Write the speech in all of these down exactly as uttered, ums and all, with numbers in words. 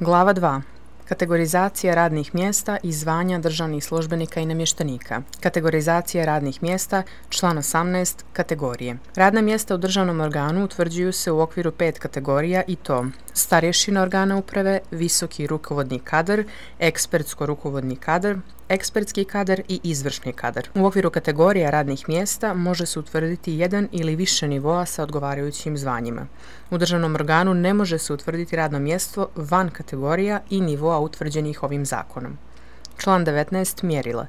Glava dva. Kategorizacija radnih mjesta i zvanja državnih službenika i namještenika. Kategorizacija radnih mjesta, član osamnaest, kategorije. Radna mjesta u državnom organu utvrđuju se u okviru pet kategorija i to: starješina organa uprave, visoki rukovodni kadar, ekspertsko-rukovodni kadar, ekspertski kadar i izvršni kadar. U okviru kategorija radnih mjesta može se utvrditi jedan ili više nivoa sa odgovarajućim zvanjima. U državnom organu ne može se utvrditi radno mjesto van kategorija i nivoa utvrđenih ovim zakonom. Član devetnaest. Mjerila.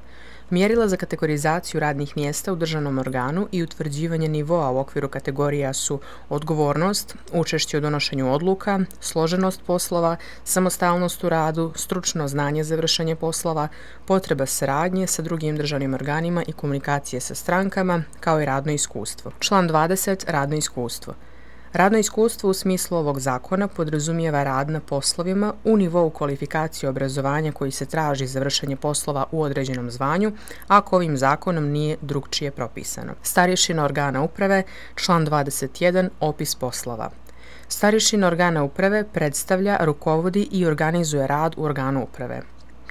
Mjerila za kategorizaciju radnih mjesta u državnom organu i utvrđivanje nivoa u okviru kategorija su odgovornost, učešće u donošenju odluka, složenost poslova, samostalnost u radu, stručno znanje za vršenje poslova, potreba saradnje sa drugim državnim organima i komunikacije sa strankama, kao i radno iskustvo. Član dvadeset. Radno iskustvo. Radno iskustvo u smislu ovog zakona podrazumijeva rad na poslovima u nivou kvalifikacije obrazovanja koji se traži za vršenje poslova u određenom zvanju, ako ovim zakonom nije drukčije propisano. Starješina organa uprave, član dvadeset jedan, opis poslova. Starješina organa uprave predstavlja, rukovodi i organizuje rad u organu uprave.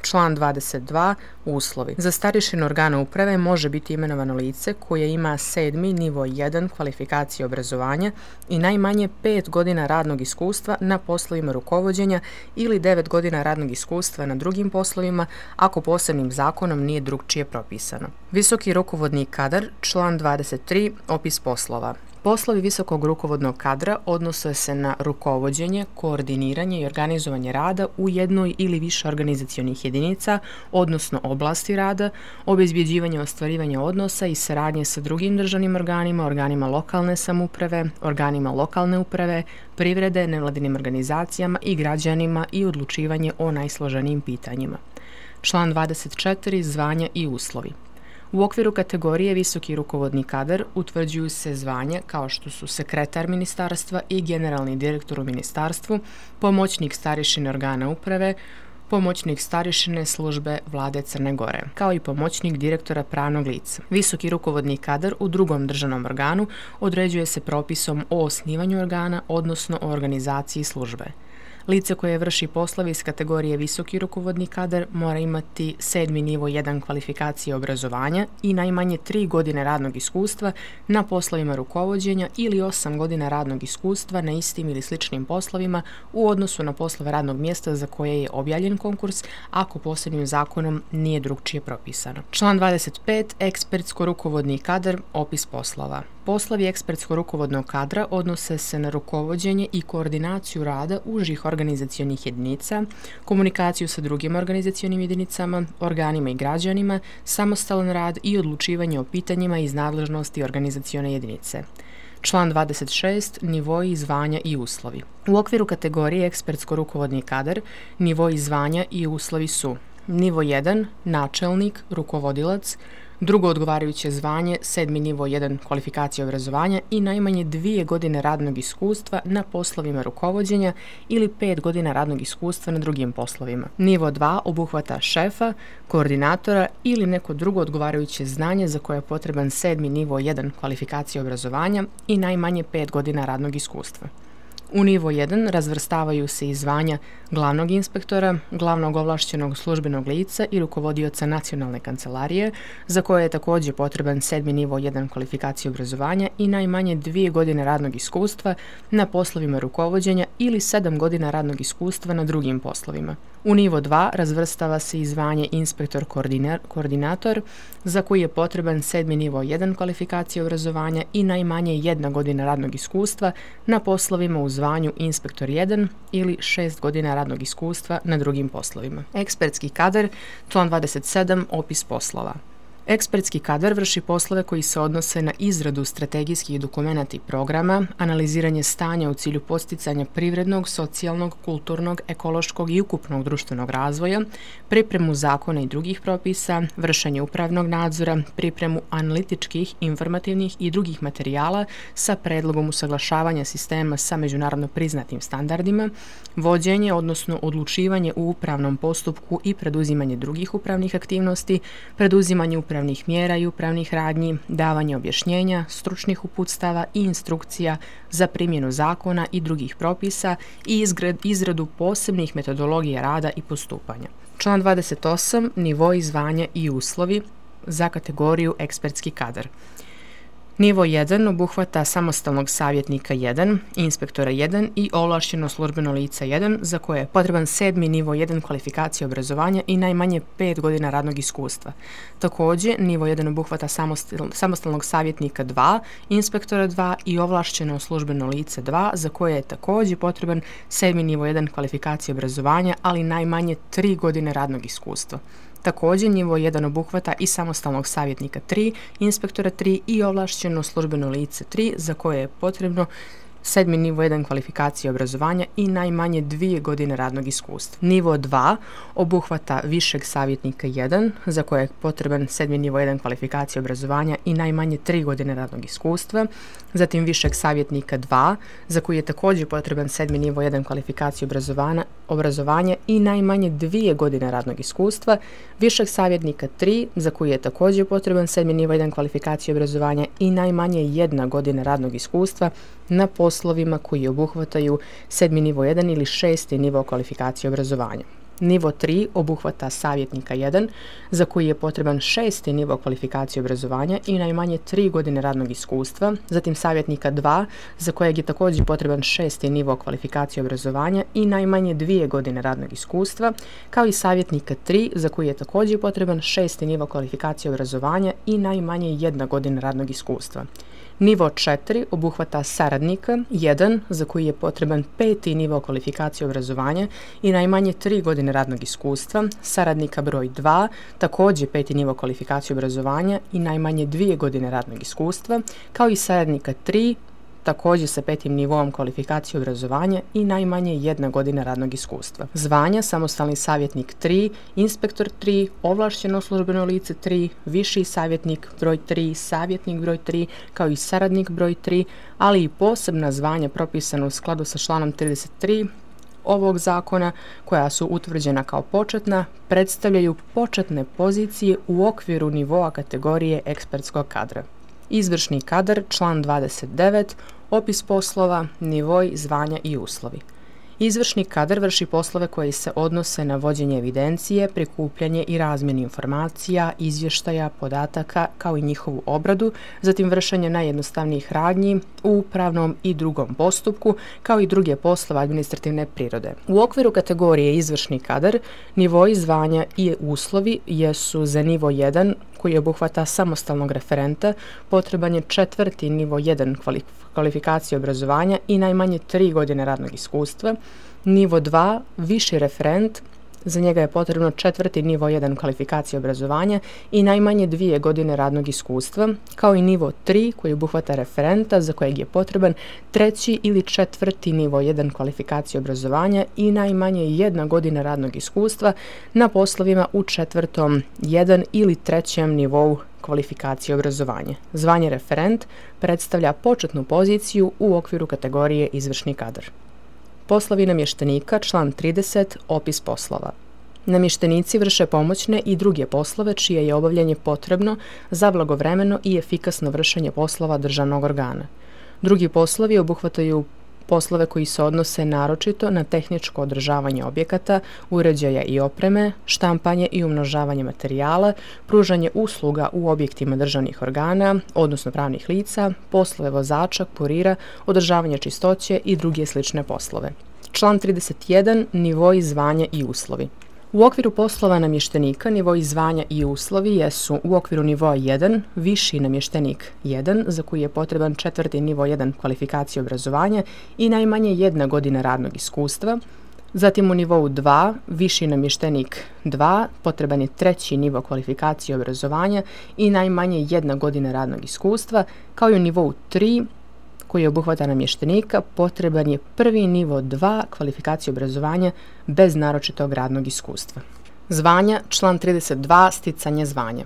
Član dvadeset dva. Uslovi. Za starješinu organa uprave može biti imenovano lice koje ima sedmi nivo jedan kvalifikacije obrazovanja i najmanje pet godina radnog iskustva na poslovima rukovođenja ili devet godina radnog iskustva na drugim poslovima, ako posebnim zakonom nije drukčije propisano. Visoki rukovodni kadar, član dvadeset tri, opis poslova. Poslovi visokog rukovodnog kadra odnose se na rukovođenje, koordiniranje i organizovanje rada u jednoj ili više organizacionih jedinica, odnosno oblasti rada, obezbjeđivanje ostvarivanja odnosa i saradnje sa drugim državnim organima, organima lokalne samouprave, organima lokalne uprave, privrede, nevladinim organizacijama i građanima i odlučivanje o najsloženijim pitanjima. Član dvadeset četiri. Zvanja i uslovi. U okviru kategorije visoki rukovodni kadar utvrđuju se zvanja kao što su sekretar ministarstva i generalni direktor u ministarstvu, pomoćnik starješine organa uprave, pomoćnik starješine službe Vlade Crne Gore, kao i pomoćnik direktora pravnog lica. Visoki rukovodni kadar u drugom državnom organu određuje se propisom o osnivanju organa, odnosno o organizaciji službe. Lice koje vrši poslove iz kategorije visoki rukovodni kadar mora imati sedmi nivo jedan kvalifikacije obrazovanja i najmanje tri godine radnog iskustva na poslovima rukovođenja ili osam godina radnog iskustva na istim ili sličnim poslovima u odnosu na poslove radnog mjesta za koje je objavljen konkurs, ako posebnim zakonom nije drukčije propisano. Član dvadeset pet. Ekspertsko-rukovodni kadar, opis poslova. Poslovi ekspertsko-rukovodnog kadra odnose se na rukovođenje i koordinaciju rada užih organizacionih jedinica, komunikaciju sa drugim organizacionim jedinicama, organima i građanima, samostalan rad i odlučivanje o pitanjima iz nadležnosti organizacione jedinice. Član dvadeset šest. Nivoi zvanja i uslovi. U okviru kategorije ekspertsko-rukovodni kadar, nivoi zvanja i uslovi su: nivo jedan, načelnik, rukovodilac, drugo odgovarajuće zvanje, sedmi nivo jedan kvalifikacije obrazovanja i najmanje dvije godine radnog iskustva na poslovima rukovođenja ili pet godina radnog iskustva na drugim poslovima. Nivo dva obuhvata šefa, koordinatora ili neko drugo odgovarajuće znanje za koje je potreban sedmi nivo jedan kvalifikacije obrazovanja i najmanje pet godina radnog iskustva. U nivo jedan razvrstavaju se i zvanja glavnog inspektora, glavnog ovlašćenog službenog lica i rukovodioca nacionalne kancelarije, za koje je također potreban sedmi nivo jedan kvalifikacije obrazovanja i najmanje dvije godine radnog iskustva na poslovima rukovođenja ili sedam godina radnog iskustva na drugim poslovima. U nivo dva razvrstava se i zvanje inspektor koordinator, za koji je potreban sedmi nivo jedan kvalifikacije obrazovanja i najmanje jedna godina radnog iskustva na poslovima u zvanju inspektor jedan ili šest godina radnog iskustva na drugim poslovima. Ekspertski kadar, član dvadeset sedam, opis poslova. Ekspertski kadar vrši poslove koji se odnose na izradu strategijskih dokumenata i programa, analiziranje stanja u cilju posticanja privrednog, socijalnog, kulturnog, ekološkog i ukupnog društvenog razvoja, pripremu zakona i drugih propisa, vršenje upravnog nadzora, pripremu analitičkih, informativnih i drugih materijala sa predlogom usaglašavanja sistema sa međunarodno priznatim standardima, vođenje, odnosno odlučivanje u upravnom postupku i preduzimanje drugih upravnih aktivnosti, preduzimanje upravnih upravnih mjera i upravnih radnji, davanje objašnjenja, stručnih uputstava i instrukcija za primjenu zakona i drugih propisa i izradu posebnih metodologija rada i postupanja. Član dvadeset osam. Nivoi, zvanja i uslovi za kategoriju ekspertski kadar. Nivo jedan obuhvata samostalnog savjetnika jedan, inspektora jedan i ovlašteno službeno lice jedan za koje je potreban sedmi nivo jedan kvalifikacije obrazovanja i najmanje pet godina radnog iskustva. Također, nivo jedan obuhvata samostalnog savjetnika dva, inspektora dva i ovlašteno službeno lice dva za koje je također potreban sedmi nivo jedan kvalifikacije obrazovanja, ali najmanje tri godine radnog iskustva. Također, nivo jedan obuhvata i samostalnog savjetnika tri, inspektora tri i ovlašteno službeno lice tri za koje je potrebno sedmi nivo jedan kvalifikacije obrazovanja i najmanje dvije godine radnog iskustva. Nivo dva obuhvata višeg savjetnika jedan za koje je potreban sedmi nivo jedan kvalifikacije obrazovanja i najmanje tri godine radnog iskustva. Zatim višeg savjetnika dva za koji je također potreban sedmi nivo jedan kvalifikacije obrazovanja, obrazovanja i najmanje dvije godine radnog iskustva. Višeg savjetnika tri za koji je također potreban sedmi nivo jedan kvalifikacije obrazovanja i najmanje jedna godina radnog iskustva na poslovima koji obuhvataju sedmi nivo jedan ili šesti nivo kvalifikacije obrazovanja. Nivo tri obuhvata savjetnika jedan za koji je potreban šesti nivo kvalifikacije obrazovanja i najmanje tri godine radnog iskustva, zatim savjetnika dva za kojeg je također potreban šesti nivo kvalifikacije obrazovanja i najmanje dvije godine radnog iskustva, kao i savjetnika tri za koji je također potreban šesti nivo kvalifikacije obrazovanja i najmanje jedna godina radnog iskustva. Nivo četiri obuhvata saradnika jedan za koji je potreban peti nivo kvalifikacije obrazovanja i najmanje tri godine radnog iskustva, saradnika broj dva, također peti nivo kvalifikacije obrazovanja i najmanje dvije godine radnog iskustva, kao i saradnika tri, također sa petim nivom kvalifikacije obrazovanja i najmanje jedna godina radnog iskustva. Zvanja: samostalni savjetnik tri, inspektor tri, ovlašteno službeno lice tri, viši savjetnik broj tri, savjetnik broj tri, kao i saradnik broj tri, ali i posebna zvanja propisana u skladu sa članom trideset tri ovog zakona, koja su utvrđena kao početna, predstavljaju početne pozicije u okviru nivoa kategorije ekspertskog kadra. Izvršni kadar, član dvadeset devet, opis poslova, nivoi, zvanja i uslovi. Izvršni kadar vrši poslove koji se odnose na vođenje evidencije, prikupljanje i razmjenu informacija, izvještaja, podataka, kao i njihovu obradu, zatim vršenje najjednostavnijih radnji u upravnom i drugom postupku, kao i druge poslove administrativne prirode. U okviru kategorije izvršni kadar, nivoi, zvanja i uslovi jesu za nivo jedan, koji obuhvata samostalnog referenta, potreban je četvrti nivo jedan kvalifikacije obrazovanja i najmanje tri godine radnog iskustva. Nivo dva, viši referent, za njega je potrebno četvrti nivo jedan kvalifikacije obrazovanja i najmanje dvije godine radnog iskustva, kao i nivo tri koji obuhvata referenta za kojeg je potreban treći ili četvrti nivo jedan kvalifikacije obrazovanja i najmanje jedna godina radnog iskustva na poslovima u četvrtom jedan ili trećem nivou kvalifikacije obrazovanja. Zvanje referent predstavlja početnu poziciju u okviru kategorije izvršni kadar. Poslovi namještenika, član trideset, opis poslova. Namještenici vrše pomoćne i druge poslove čije je obavljanje potrebno za blagovremeno i efikasno vršenje poslova državnog organa. Drugi poslovi obuhvataju poslove koji se odnose naročito na tehničko održavanje objekata, uređaja i opreme, štampanje i umnožavanje materijala, pružanje usluga u objektima državnih organa, odnosno pravnih lica, poslove vozača, kurira, održavanje čistoće i druge slične poslove. Član trideset jedan. Nivoi, zvanja i uslovi. U okviru poslova namještenika nivoi zvanja i uslovi jesu u okviru nivoa jedan, viši namještenik jedan, za koji je potreban četvrti nivo jedan kvalifikacije obrazovanja i najmanje jedna godina radnog iskustva. Zatim u nivou dva, viši namještenik dva, potreban je treći nivo kvalifikacije obrazovanja i najmanje jedna godina radnog iskustva, kao i u nivou tri, koji obuhvata namještenika, potreban je prvi nivo dva kvalifikacije obrazovanja bez naročitog radnog iskustva. Zvanja, član trideset dva, sticanje zvanja.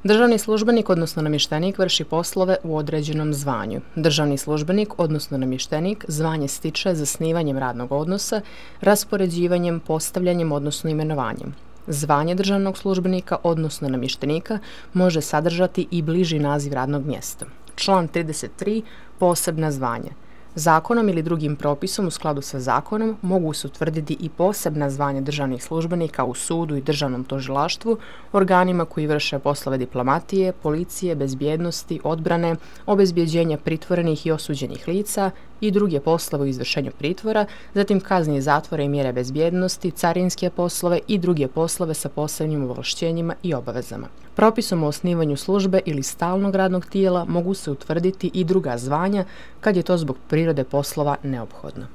Državni službenik, odnosno namještenik, vrši poslove u određenom zvanju. Državni službenik, odnosno namještenik, zvanje stiče zasnivanjem radnog odnosa, raspoređivanjem, postavljanjem, odnosno imenovanjem. Zvanje državnog službenika, odnosno namještenika, može sadržati i bliži naziv radnog mjesta. Član trideset tri. Posebna zvanja. Zakonom ili drugim propisom u skladu sa zakonom mogu se utvrditi i posebna zvanja državnih službenika u sudu i državnom tužilaštvu, organima koji vrše poslove diplomatije, policije, bezbjednosti, odbrane, obezbjeđenja pritvorenih i osuđenih lica i druge poslove u izvršenju pritvora, zatim kazni zatvora i mjere bezbjednosti, carinske poslove i druge poslove sa posebnim ovlašćenjima i obavezama. Propisom o osnivanju službe ili stalnog radnog tijela mogu se utvrditi i druga zvanja kad je to zbog prirode poslova neophodno.